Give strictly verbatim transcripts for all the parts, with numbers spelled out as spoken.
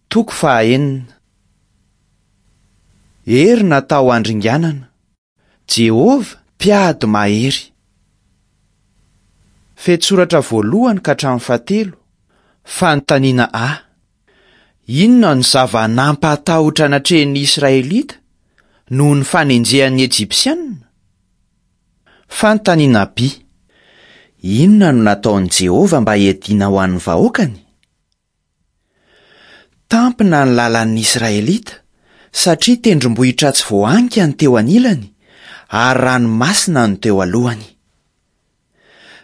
Toko fahaenina. Hery natao handringanana. Jehovah, mpiady mahery. Fehintsoratra voalohany ka hatramin'ny fahatelo. Fanontaniana A. Inona no zava-nampatahotra natrehin'ny Israelita noho ny fanenjehan'ny Ejipsianina? Fanontaniana B. Inona no nataon'i Jehovah mba hiadiana ho an'ny vahoakany? Tampina ny lalan'ny Israelita satria tendrombohitra tsy voahanika ny teo anilany ary ranomasina no teo alohany.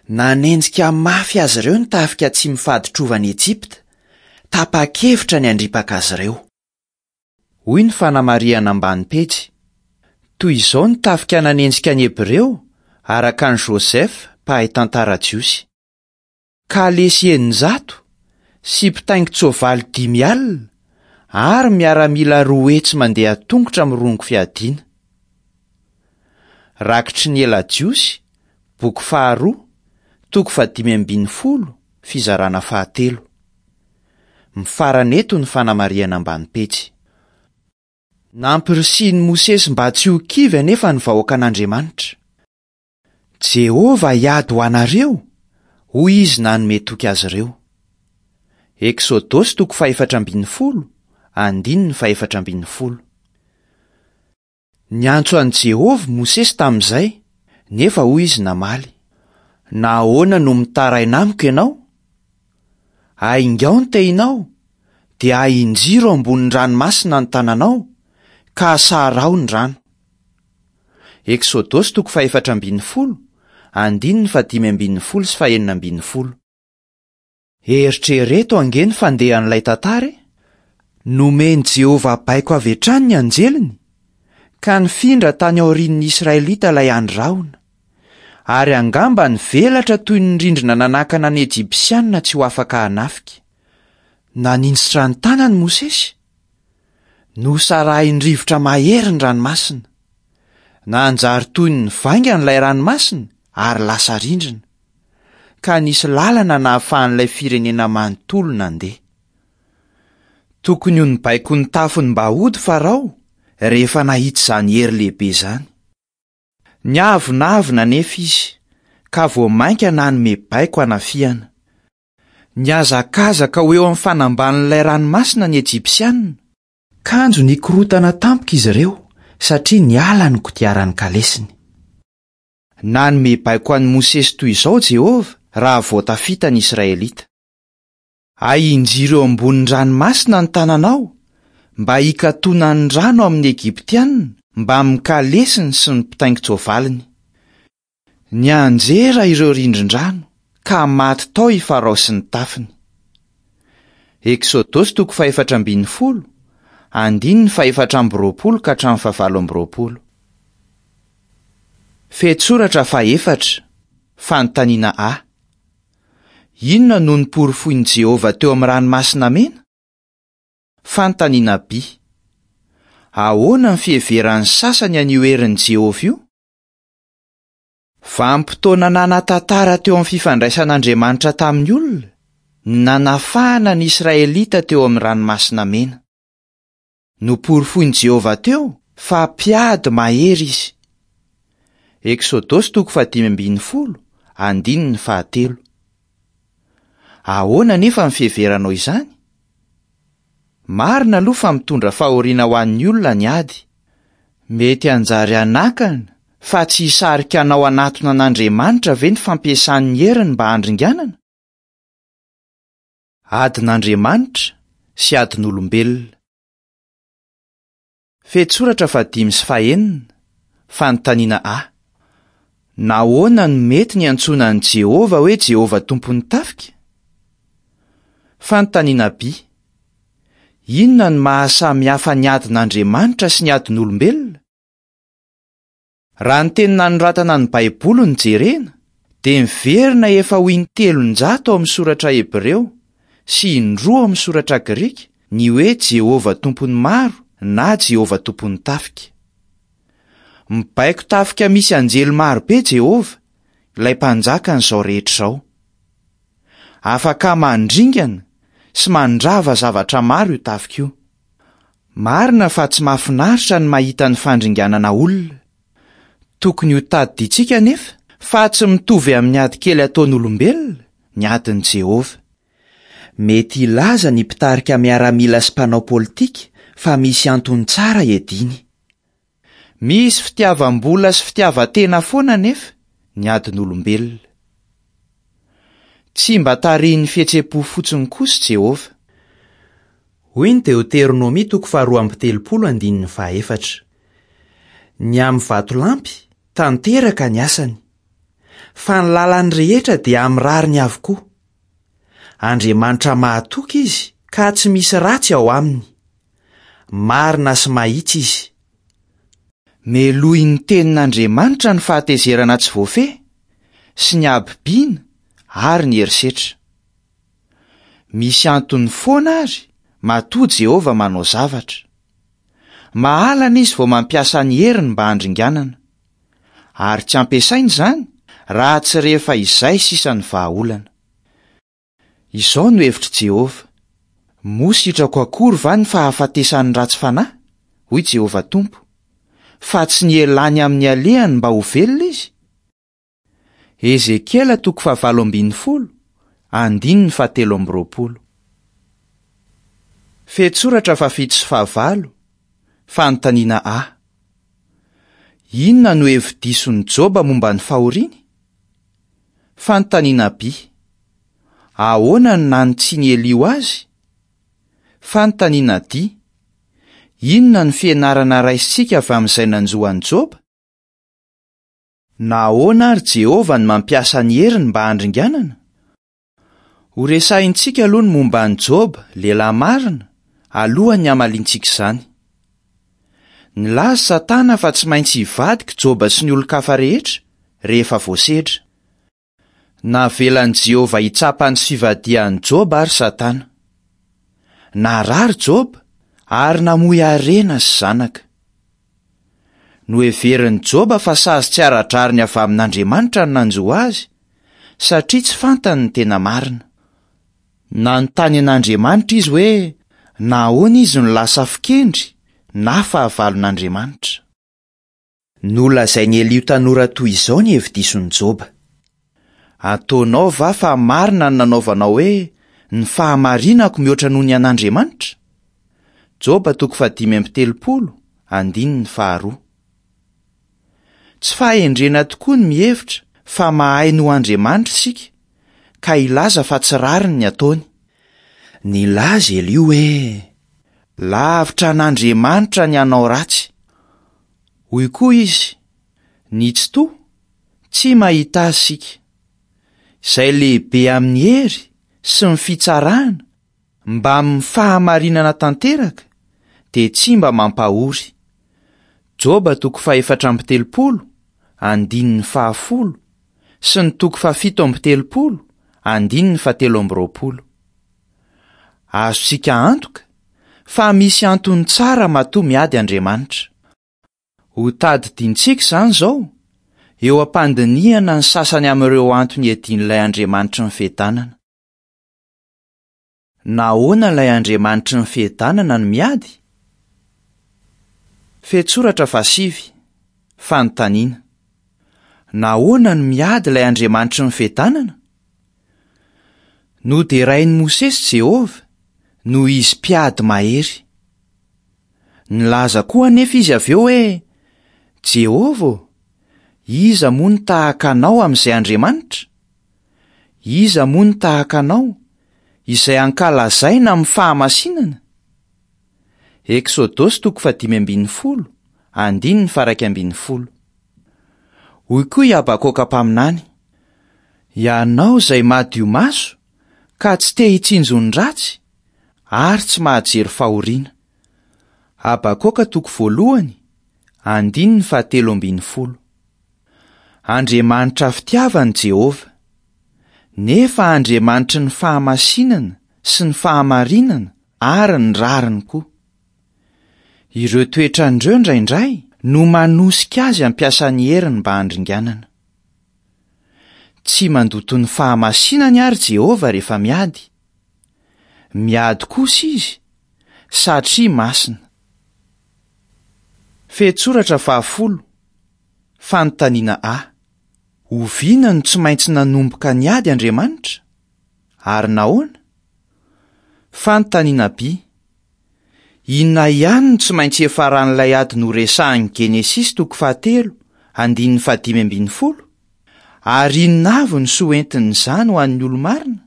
Nanenjika mafy azy ireo ny tafika tsy mifaditrovana Ejipta, tapa-kevitra ny handripaka azy ireo. Hoy ny fanamarihana ambany pejy. Toy izao ny tafika nanenjika ny Hebreo araka an'i Joseph, mpahay tantara jiosy. Kalesy eninjato sy mpitaingin-tsoavaly dimy alina ary miaramila roa hetsy mandeha tongotra mirongo fiadiana. Rakitry ny ela jiosy, boky faharoa, toko fahadimy ambin'ny folo, fizarana fahatelo. Mifarana eto ny fanamarihana ambany pejy. Nampirisihin'i Mosesy mba tsy ho kivy anefa ny vahoakan'Andriamanitra. Jehovah hiady ho anareo, hoy izy nanome toky azy ireo. Eksodosy toko fahefatra ambin'ny folo, andininy fahefatra ambin'ny folo. Niantso an'i Jehovah Mosesy tamin'izay, nefa hoy izy namaly: Nahoana no mitaraina amiko ianao? Aingao ny tehinao, dia ahinjiro ambonin'ny ranomasina ny tananao, ka asaraho ny rano. Eksodosy toko fahefatra ambin'ny folo, andininy fahadimy ambin'ny folo sy fahenina ambin'ny folo. Eritrereto ange ny fandehan'ilay tantara e! Nomen'i Jehovah baiko avy hatrany ny anjeliny, ka nifindra tany aorian'ny Israelita ilay andry rahona. Ary angamba nivelatra toy ny rindrina nanakana ny Ejipsianina tsy ho afaka hanafika. Naninjitra ny tanany Mosesy. Nosarahin'ny rivotra mahery ny ranomasina. Nanjary toy ny vaingana ilay ranomasina ary lasa rindrina. Ka nisy lalana nahafahan'ilay firenena manontolo nandeha. Tokony ho nibaiko ny tafony mba hody Farao rehefa nahita izany hery lehibe izany. Niavonavona anefa izy, ka vao mainka nanome baiko hanafihana. Nihazakazaka ho eo amin'ny fanambanin'ilay ranomasina ny Ejipsianina. Kanjo nikorotana tampoka izy ireo satria niala ny kodiaran'ny kalesiny. Nanome baiko an'i Mosesy toy izao Jehovah raha vao tafita ny Israelita. Ahinjiro eo ambonin'ny ranomasina ny tananao mba hikatona ny rano amin'ny Egyptianina mbamin'ny kalesiny sy ny mpitaingin-tsoavaliny. Nianjera ireo rindrin-drano ka maty tao i Farao sy ny tafiny. Eksodosy toko fahefatra ambin'ny folo, andininy fahefatra amby roapolo ka hatramin'ny fahavalo amby roapolo. Fehintsoratra fahefatra, fanontaniana A. Inona no noporofoin'i Jehovah teo amin'ny ranomasina mena? Fanontaniana B. Ahoana ny fiheveran'ny sasany an'io herin'i Jehovah io? Vanim-potoana nanan-tantara teo amin'ny fifandraisan'Andriamanitra tamin'ny olona, ny nanafahana ny Israelita teo amin'ny ranomasina mena. Noporofoin'i Jehovah teo fa mpiady mahery izy. Eksodosy toko fahadimy ambin'ny folo, andininy fahatelo. Ahoana anefa ny fiheveranao izany? Marina aloha fa mitondra fahoriana ho an'ny olona ny ady. Mety hanjary hanakana fa tsy hisarika anao hanatona an'Andriamanitra ve ny fampiasan'ny heriny mba handringanana? Adin'Andriamanitra sy adin'olombelona. Fehintsoratra fahadimy sy fahenina, fanontaniana A. Nahoana no mety ny antsoina an'i Jehovah hoe Jehovah tompon'ny tafika? Fanontaniana B. Inona no mahasamihafa ny adin'Andriamanitra sy ny adin'olombelona? Raha ny teny nanoratana ny Baiboly no jerena, dia miverina efa ho intelonjato ao amin'ny soratra hebreo sy indroa ao amin'ny soratra grika ny hoe Jehovah tompon'ny maro na Jehovah tompon'ny tafika. Mibaiko tafika misy anjely marobe Jehovah, ilay mpanjakan'izao rehetra izao. Afaka mandringana sy mandrava zavatra maro io tafika io. Marina fa tsy mahafinaritra ny mahita ny fandringanana olona. Tokony ho tadidintsika anefa fa tsy mitovy amin'ny ady kely ataon'olombelona ny adin'i Jehovah. Mety hilaza ny mpitarika miaramila sy mpanao politika fa misy antony tsara iadiany. Misy fitiavam-bola sy fitiavan-tena foana anefa ny adin'olombelona. Tsy mba tarihin'ny fihetseham-po fotsiny kosa Jehovah. Hoy ny Deoteronomia toko faharoa amby telopolo andininy fahaefatra. Ny amin'ny vatolampy, tanteraka ny asany. Fa ny lalany rehetra dia amin'ny rariny avokoa. Andriamanitra mahatoky izy ka tsy misy ratsy ao aminy. Marina sy mahitsy izy. Melohin'ny tenin'Andriamanitra ny fahatezerana tsy voafehy sy ny habibiana ary ny herisetra. Misy antony foana ary matoa Jehovah manao zavatra. Mahalana izy vao mampiasa ny heriny mba handringanana. Ary tsy ampiasaina izany raha tsy rehefa izay sisa ny vahaolana. Izao no hevitr'i Jehovah: moa sitrako akory va ny fahafatesan'ny ratsy fanahy? Hoy Jehovah Tompo, fa tsy ny elany amin'ny alehany mba ho velona izy. Ezekiela toko fahavalo ambin'ny folo, andininy fahatelo amby roapolo. Fehintsoratra fahafito sy fahavalo, fanontaniana A. Inona no hevi-dison'i Joba momba ny fahoriany? Fanontaniana B. Ahoana no nanitsian'i Eliho azy? Fanontaniana D. Inona no fianarana raisintsika avy amin'izay nanjo an'i Joba? Nahoana ary Jehovah no mampiasa ny heriny mba handringanana? Ho resahintsika aloha ny momba an'i Joba, lehilahy marina, alohan'ny hamaliantsika izany. Nilaza Satana fa tsy maintsy hivadika Joba sy ny olon-kafa rehetra rehefa voasedra. Navelan'i Jehovah hitsapa ny fivadihan'i Joba ary Satana. Narary Joba ary namoy harena sy zanaka. Noheverin'i Joba fa sazy tsy ara-drariny avy amin'Andriamanitra ny nanjo azy, satria tsy fantany ny tena marina. Nanontany an'Andriamanitra izy hoe nahoana izy no lasa fikendry na fahavalon'Andriamanitra. Nolazain'i Eliho tanora toy izao ny hevi-dison'i Joba: Ataonao va fa marina ny nanaovanao hoe ny fahamarinako mihoatra noho ny an'Andriamanitra? Joba toko fahadimy amby telopolo, andininy faharoa. Tsy fahendrena tokoa ny mihevitra fa mahay noho Andriamanitra isika, ka hilaza fa tsy rariny ny ataony. Nilaza Eliho hoe lavitra an'Andriamanitra ny hanao ratsy. Hoy koa izy, ny Tsitoha tsy mahita azy isika. Izay lehibe amin'ny hery sy ny fitsarana mba amin'ny fahamarinana tanteraka dia tsy mba mampahory. Joba toko fahefatra amby telopolo, andininy fahafolo, sy ny toko fahafito amby telopolo, andininy fahatelo amby roapolo. Azontsika antoka fa misy antony tsara matoa miady Andriamanitra. Ho tadidintsika izany izao, eo am-pandinihana ny sasany amin'ireo antony iadian'ilay Andriamanitry ny fiadanana. Nahoana ilay Andriamanitry ny fiadanana no miady? Fehintsoratra fahasivy, fanontaniana. Nahoana no miady ilay Andriamanitry ny fiadanana? Noderain'i Mosesy Jehovah noho izy mpiady mahery. Nilaza koa anefa izy avy eo hoe: Jehovah ô, iza moa no tahaka anao amin'izay Andriamanitra? Iza moa no tahaka anao, izay ankalazaina amin'ny fahamasinana? Eksodosy toko fahadimy ambin'ny folo, andininy faha-iraika ambin'ny folo. Hoy koa i Habakoka mpaminany: Ianao izay madio maso ka tsy te hitsinjo ny ratsy ary tsy mahajery fahoriana. Habakoka toko voalohany, andininy fahatelo ambin'ny folo. Andriamanitra fitiavana Jehovah, nefa Andriamanitry ny fahamasinana sy ny fahamarinana ary ny rariny koa. Ireo toetran'ireo indraindray no manosika azy hampiasa ny heriny mba handringanana. Tsy mandoto ny fahamasinany ary Jehovah rehefa miady. Miady kosa izy, satria masina. Fehintsoratra fahafolo. Fanontaniana A. Oviana no tsy maintsy nanomboka niady Andriamanitra? Ary nahoana? Fanontaniana B. Inona ihany no tsy maintsy hiafaran'ilay ady noresahin'ny Genesisy toko fahatelo, andininy fahadimy ambin'ny folo? Ary inona avy ny soa entin'izany ho an'ny olo-marina?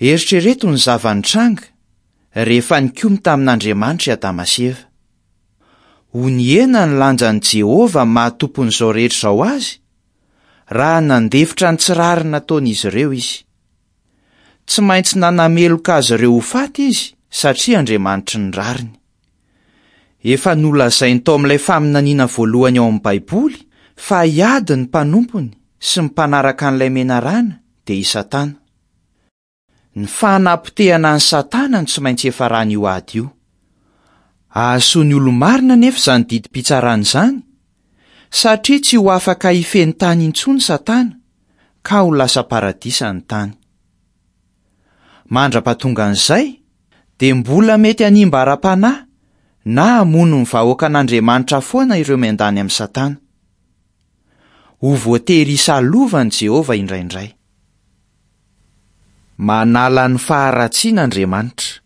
Eritrereto ny zava-nitranga rehefa nikomy tamin'Andriamanitra i Adama sy Eva. Ho nihena ny lanjan'i Jehovah maha tompon'izao rehetra izao azy raha nandefitra ny tsy rariny nataon'izy ireo izy. Tsy maintsy nanameloka azy ireo ho faty izy satria Andriamanitry ny rariny. Efa nolazainy tao amin'ilay faminaniana voalohany ao amin'ny Baiboly fa hiady ny mpanompony sy ny mpanaraka an'ilay menarana dia i Satana. Ny fanapotehana an'i Satana no tsy maintsy hiafaran'io ady io. Hahasoa ny olo-marina nefa izany didim-pitsarana izany, satria tsy ho afaka hifehy ny tany intsony Satana ka ho lasa paradisa ny tany. Mandra-pahatongan'izay dia mbola mety hanimba ara-panahy na hamono ny vahoakan'Andriamanitra foana ireo miandany amin'i Satana. Ho voatery hisalovan'i Jehovah indraindray. Manala ny faharatsiana Andriamanitra.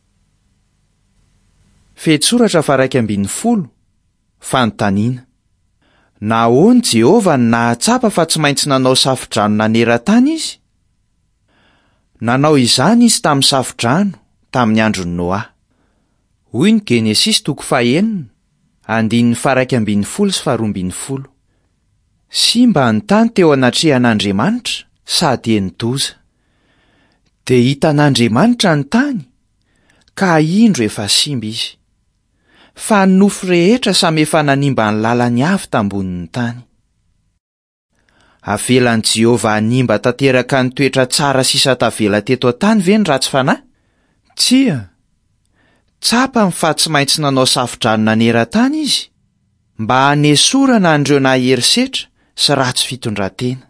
Fehintsoratra faha-iraika ambin'ny folo. Fanontaniana. Nahoana Jehovah no nahatsapa fa tsy maintsy nanao safodrano naneran-tany izy? Nanao izany izy tamin'ny safodrano tamin'ny andron'i Noa. Hoy ny Genesisy toko fahenina, andininy faha-iraika ambin'ny folo sy faharoa ambin'ny folo. Simba ny tany teo anatrehan'Andriamanitra sady heni-doza. Dia hitan'Andriamanitra ny tany, ka indro efa simba izy. Fa ny nofo rehetra samy efa nanimba ny lalany avy tambonin'ny tany. Avelan'i Jehovah hanimba tanteraka ny toetra tsara sisa tavela teto an-tany ve ny ratsy fanahy? Tsia. Tsapany fa tsy maintsy nanao safodrano naneran-tany izy mba hanesorana an'ireo nahery setra sy ratsy fitondran-tena.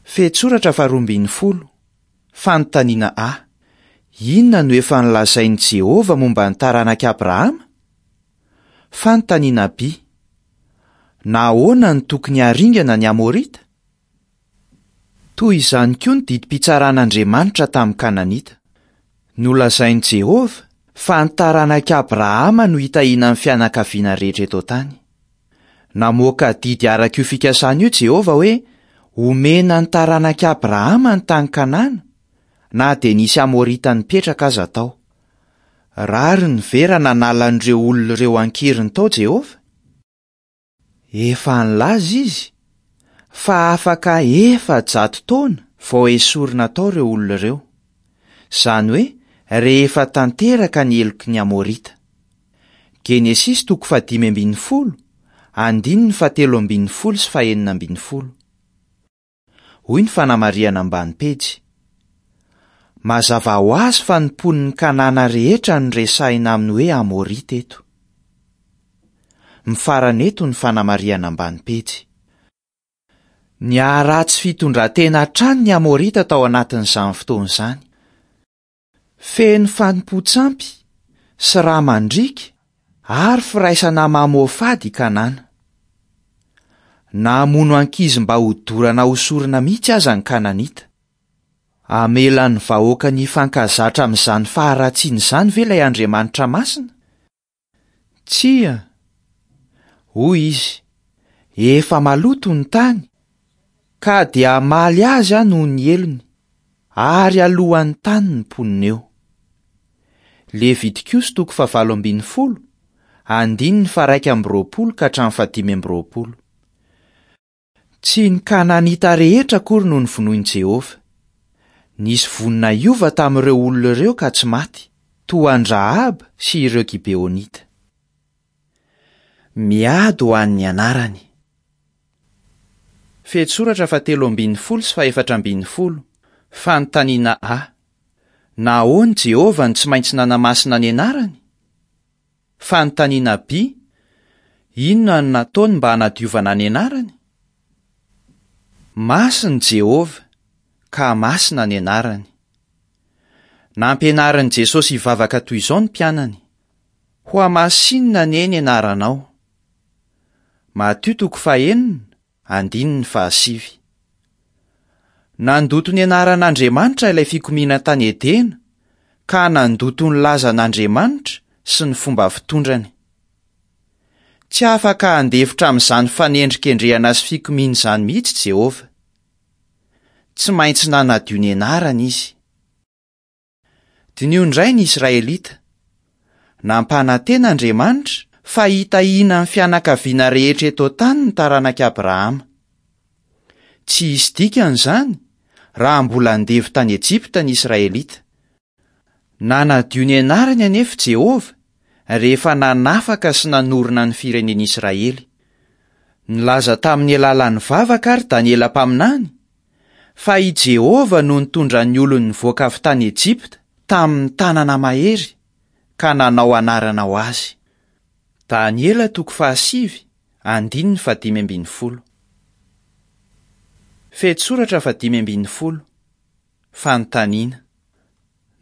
Fehintsoratra faharoa ambin'ny folo. Fanontaniana A. Inona no efa nolazain'i Jehovah momba ny taranak'i Abrahama? Fanontaniana B. Nahoana no tokony haringana ny Amorita? Toy izany koa ny didim-pitsaran'Andriamanitra tamin'ny Kananita. Nolazain'i Jehovah fa ny taranak'i Abrahama no hitahiana ny fianakaviana rehetra eto an-tany. Namoaka didy araka io fikasana io Jehovah hoe omena ny taranak'i Abrahama ny tany Kanana, na dia nisy Amorita nipetraka aza tao. Rariny ve raha nanala an'ireo olona ireo an-keriny tao Jehovah? Efa nilaza izy fa afaka efajato taona vao esorina tao ireo olona ireo. Izany hoe rehefa tanteraka ny heloky ny Amorita. Genesisy toko fahadimy ambin'ny folo, andininy fahatelo ambin'ny folo sy fahenina ambin'ny folo. Hoy ny fanamarihana ambany pejy. Mazava ho azy fa ny mponin'ny Kanana rehetra no resahina amin'ny hoe Amorita eto. Mifarana eto ny fanamarihana ambany pejy. Niharatsy fitondran-tena hatrany ny Amorita tao anatin'izany fotoana izany. Feno fanompoan-tsampy sy rà mandriaka ary firaisana mamoafady i Kanana. Namono ankizy mba hodorana ho sorona mihitsy aza ny Kananita. Hamela ny vahoaka ny hifankazatra amin'izany faharatsiana izany ve ilay Andriamanitra masina? Tsia. Hoy izy, efa maloto ny tany, ka dia hamaly azy aho noho ny helony, ary alohan'ny tany ny mponina eo. Levitikosy toko fahavalo ambin'ny folo, andininy faha-iraika amby roapolo ka hatramin'ny fahadimy amby roapolo. Tsy ny Kananita rehetra akory no novonoin'i Jehovah. Nisy vonona hiova tamin'ireo olona ireo ka tsy maty, toa an-dRahaba sy ireo Gibeonita. Miady ho an'ny anarany. Fehintsoratra fahatelo ambin'ny folo sy fahefatra ambin'ny folo. Fanontaniana A. Nahoana Jehovah no tsy maintsy nanamasina ny anarany? Fanontaniana B. Inona no nataony mba hanadiovana ny anarany? Masina Jehovah, ka masina ny anarany. Nampianarin'i Jesosy hivavaka toy izao ny mpianany: Hohamasinina anie ny anaranao. Matio toko fahenina, andininy fahasivy. Nandoto ny anaran'Andriamanitra ilay fikomiana tany Edena, ka nandoto ny lazan'Andriamanitra sy ny fomba fitondrany. Tsy afaka handefitra amin'izany fanendrikendrehana sy fikomiana izany mihitsy Jehovah. Tsy maintsy nanadio ny anarany izy. Diniho indray ny Israelita. Nampanantena Andriamanitra fa hitahiana ny fianakaviana rehetra eto an-tany ny taranak'i Abrahama. Tsy hisy dikany izany raha mbola andevo tany Ejipta ny Israelita. Nanadio ny anarany anefa Jehovah rehefa nanafaka sy nanorina ny firenen'Israely. Nilaza tamin'ny alalan'ny vavaka ary Daniela mpaminany fa i Jehovah no nitondra ny olony nivoaka avy tany Ejipta tamin'ny tanana mahery ka nanao anarana ho azy. Daniela toko fahasivy, andininy fahadimy ambin'ny folo. Fehintsoratra fahadimy ambin'ny folo. Fanontaniana: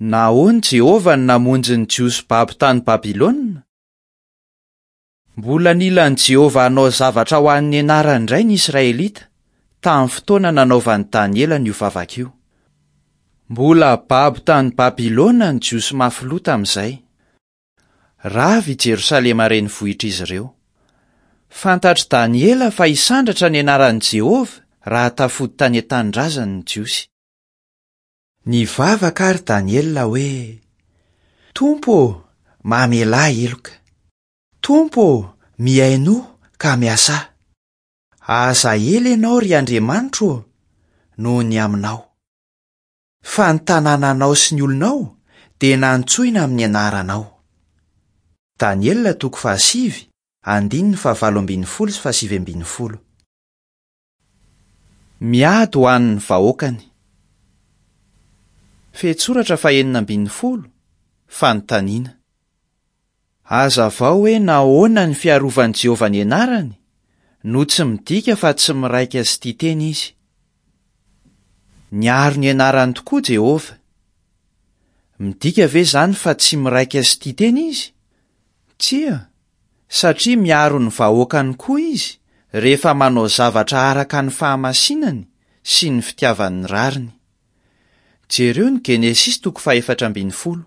Nahoana Jehovah no namonjy ny Jiosy babo tany Babylona? Mbola nila an'i Jehovah hanao zavatra ho an'ny anarany indray ny Israelita tamin'ny fotoana nanaovan'i Daniela an'io vavaka io. Mbola babo tany Babylona ny Jiosy mafy loha tamin'izay. Rava i Jerosalema renivohitr'izy ireo. Fantatr'i Daniela fa hisandratra ny anaran'i Jehovah raha tafody tany an-tanindrazany ny Jiosy. Nivavaka ary Daniela hoe: Tompo ô, mamelà heloka. Tompo ô, mihainoa ka miasà. Aza ela ianao ry Andriamanitro ô, noho ny aminao. Fa ny tanànanao sy ny olonao dia nantsoina amin'ny anaranao. Daniela toko fahasivy, andininy fahavalo ambin'ny folo sy fahasivy ambin'ny folo. Miady ho an'ny vahoakany. Fehintsoratra fahenina ambin'ny folo, fanontaniana. Hazavao hoe nahoana ny fiarovan'i Jehovah ny anarany no tsy midika fa tsy miraika sy tia tena izy. Niaro ny anarany tokoa Jehovah. Midika ve izany fa tsy miraika sy tia tena izy? Tsia, satria miaro ny vahoakany koa izy rehefa manao zavatra araka ny fahamasinany sy ny fitiavany ny rariny. Jereo ny Genesisy toko fahefatra ambin'ny folo.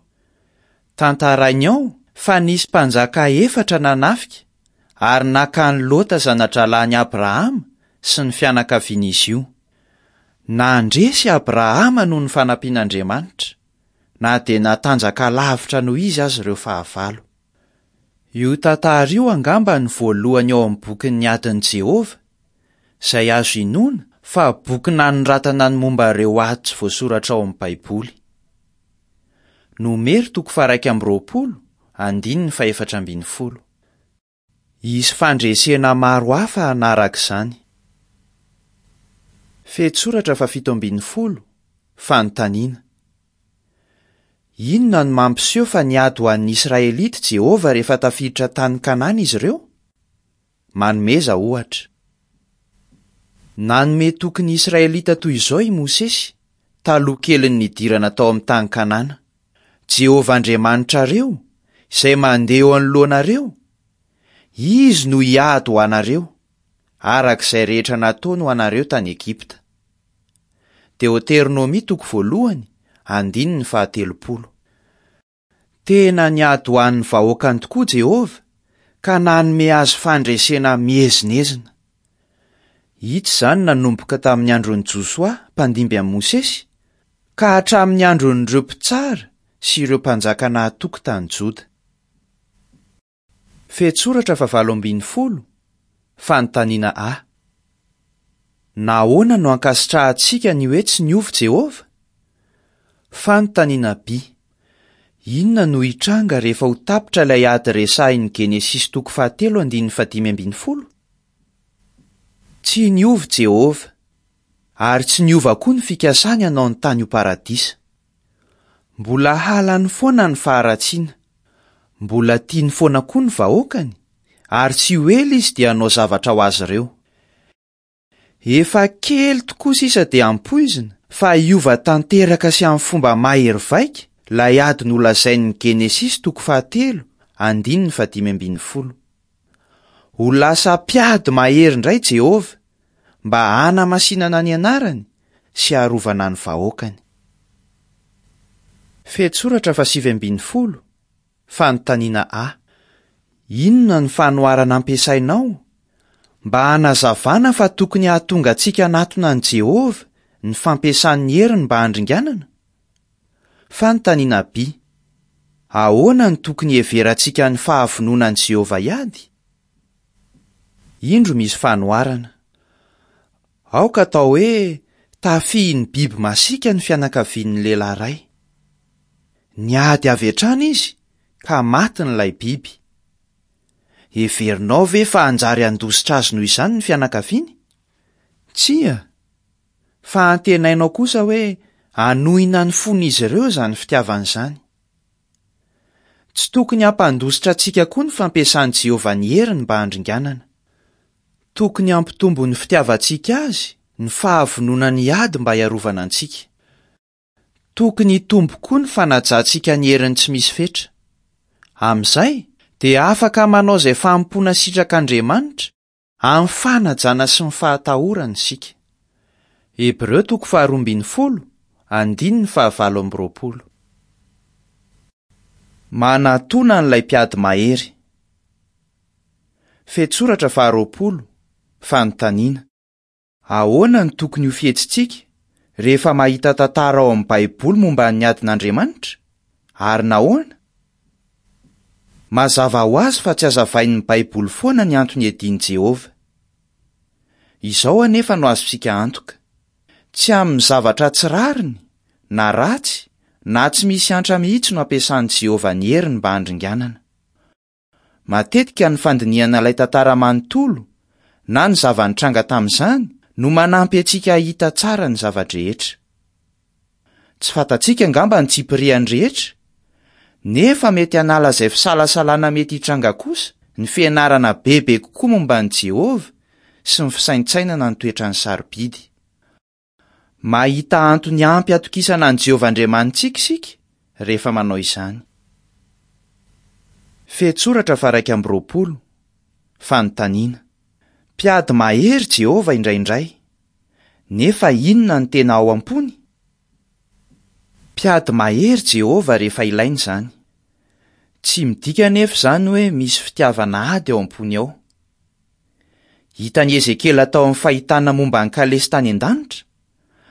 Tantarainy ao fa nisy mpanjaka efatra nanafika ary naka an'i Lota zana-drahalahin'i Abrahama sy ny fianakavian'izy io. Nandresy Abrahama noho ny fanampian'Andriamanitra, na dia natanjaka lavitra noho izy aza ireo fahavalo. Io tantara io angamba ny voalohany ao amin'ny bokin'ny adin'i Jehovah, izay azo inoana fa boky nanoratana ny momba ireo ady tsy voasoratra ao amin'ny Baiboly. Nomery toko faha-iraika amby roapolo, andininy fahefatra ambin'ny folo. Hisy fandresena maro hafa hanaraka izany. Fehintsoratra fahafito ambin'ny folo, fanontaniana. Inona no mampiseho fa niady ho an'ny Israelita Jehovah rehefa tafiditra tany Kanana izy ireo? Manomeza ohatra. Nanome toky ny Israelita toy izao i Mosesy taloha kelin'ny nidirana tao amin'ny tany Kanana: Jehovah Andriamanitrareo, izay mandeha eo anoloanareo, Izy no hiady ho anareo, araka izay rehetra nataony ho anareo tany Egypta. Deoteronomia toko voalohany, andininy fahatelopolo. Tena niady ho an'ny vahoakany tokoa Jehovah ka nanome azy fandresena miezinezina. Hita izany nanomboka tamin'ny andron'i Josoa mpandimby amin'i Mosesy ka hatramin'ny andron'ireo mpitsara sy ireo mpanjaka nahatoky tany Joda. Fehintsoratra fahavalo ambin'ny folo, fanontaniana A. Nahoana no ankasitrahantsika ny hoe tsy niova Jehovah? Fanontaniana B. Inona no hitranga rehefa ho tapitra ilay ady resahin'ny Genesisy toko fahatelo andininy fahadimy ambin'ny folo? Tsy niova Jehovah, ary tsy niova koa ny fikasany hanao ny tany ho paradisa. Mbola halany foana ny faharatsiana. Mbola tiany foana koa ny vahoakany, ary tsy ho ela izy dia hanao zavatra ho azy ireo. Efa kely tokoa sisa dia ampoizina fa hiova tanteraka sy amin'ny fomba mahery vaika Ilay ady nolazain'ny Genesisy toko fahatelo, andininy fahadimy ambin'ny folo. Ho lasa mpiady mahery indray Jehovah mba hanamasinana ny anarany sy harovana ny vahoakany. Fehintsoratra fahasivy ambin'ny folo, fanontaniana A. Inona ny fanoharana ampiasainao mba hanazavana fa tokony hahatonga antsika hanatona an'i Jehovah ny fampiasany ny heriny mba handringanana? Fanontaniana B. Ahoana no tokony hiheverantsika ny fahavononan'i Jehovah hiady? Indro misy fanoharana. Aoka atao hoe tafihin'ny biby masiaka ny fianakavian'ny lehilahy iray. Niady avy hatrany izy ka matin'ilay biby. Heverinao ve fa hanjary handositra azy noho izany ny fianakaviany? Tsia, fa antenainao kosa hoe hanohina ny fon'izy ireo izany fitiavana izany. Tsy tokony hampandositra antsika koa ny fampiasan'i Jehovah ny heriny mba handringanana. Tokony hampitombo ny fitiavantsika azy ny fahavononany hiady mba hiarovana antsika. Tokony hitombo koa ny fanajantsika ny heriny tsy misy fetra. Amin'izay dia afaka manao izay fanompoana sitrak'Andriamanitra amin'ny fanajana sy ny fahatahorana isika. Hebreo toko faharoa ambin'ny folo, andininy fahavalo amby roapolo. Manatona an'ilay mpiady mahery. Fehintsoratra faharoapolo, fanontaniana. Ahoana no tokony ho fihetsitsika rehefa mahita tantara ao amin'ny Baiboly momba ny adin'Andriamanitra? Ary nahoana? Mazava ho azy fa tsy hazavain'ny Baiboly foana ny antony iadian'i Jehovah. Izao anefa no azontsika antoka. Tsy amin'ny zavatra tsy rariny, na ratsy, na tsy misy antra mihitsy no ampiasan'i Jehovah ny heriny mba handringanana. Matetika ny fandinihana ilay tantara manontolo na ny zava-nitranga tamin'izany no manampy antsika hahita tsara ny zava-drehetra. Tsy fantatsika angamba ny tsipiriany rehetra, nefa mety hanala izay fisalasalana mety hitranga kosa ny fianarana bebe kokoa momba an'i Jehovah sy ny fisaintsainana ny toetrany sarobidy. Mahita antony ampy atokisana an'i Jehovah Andriamanitsika isika rehefa manao izany. Fehintsoratra faha-iraika amby roapolo, fanontaniana. Mpiady mahery Jehovah indraindray, nefa inona no tena ao am-pony? Mpiady mahery Jehovah rehefa ilaina izany. Tsy midika anefa izany hoe misy fitiavana ady ao am-pony ao. Hitan'i Ezekiela tao amin'ny fahitana momba ny kalesy tany an-danitra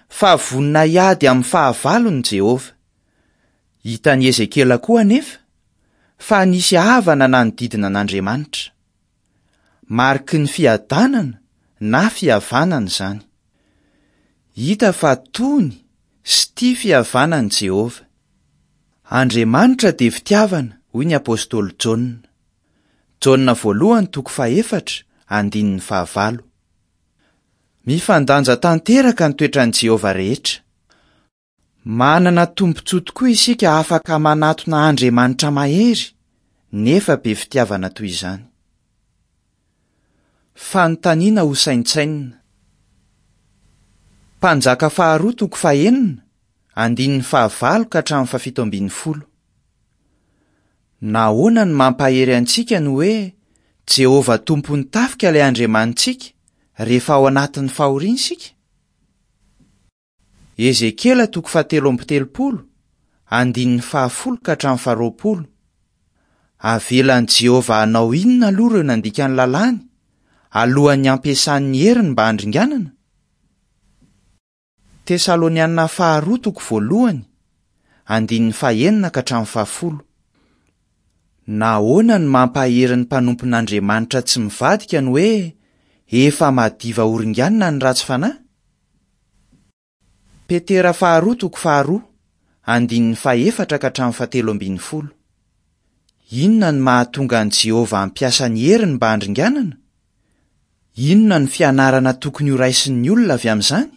fa vonona hiady amin'ny fahavalony Jehovah. Hitan'i Ezekiela koa anefa fa nisy havana nanodidina an'Andriamanitra. Mariky ny fiadanana na fihavanana izany. Hita fa tony sy tia fihavanana Jehovah. Andriamanitra dia fitiavana, hoy ny apostoly Jaona. Jaona voalohany toko fahefatra, andininy fahavalo. Mifandanja tanteraka ny toetran'i Jehovah rehetra. Manana tombontsoa tokoa isika afaka manatona Andriamanitra mahery, nefa be fitiavana toy izany. Fanontaniana ho saintsainina. Mpanjaka faharoa toko fahenina, andininy fahavalo ka hatramin'ny fahafito ambin'ny folo. Nahoana no mampahery antsika ny hoe Jehovah tompon'ny tafika ilay Andriamanitsika rehefa ao anatin'ny fahoriana isika? Ezekiela toko fahatelo amby telopolo, andininy fahafolo ka hatramin'ny faharoapolo. Avelan'i Jehovah hanao inona aloha ireo nandika ny lalàny alohan'ny hampiasany ny heriny mba handringanana? Tesalonianina faharoa toko voalohany, andininy fahenina ka hatramin'ny fahafolo. Nahoana no mampahery ny mpanompon'Andriamanitra tsy mivadika ny hoe efa madiva horinganina ny ratsy fanahy? Petera faharoa toko faharoa, andininy fahefatra ka hatramin'ny fahatelo ambin'ny folo. Inona no mahatonga an'i Jehovah hampiasa ny heriny mba handringanana? Inona no fianarana tokony horaisin'ny olona avy amin'izany?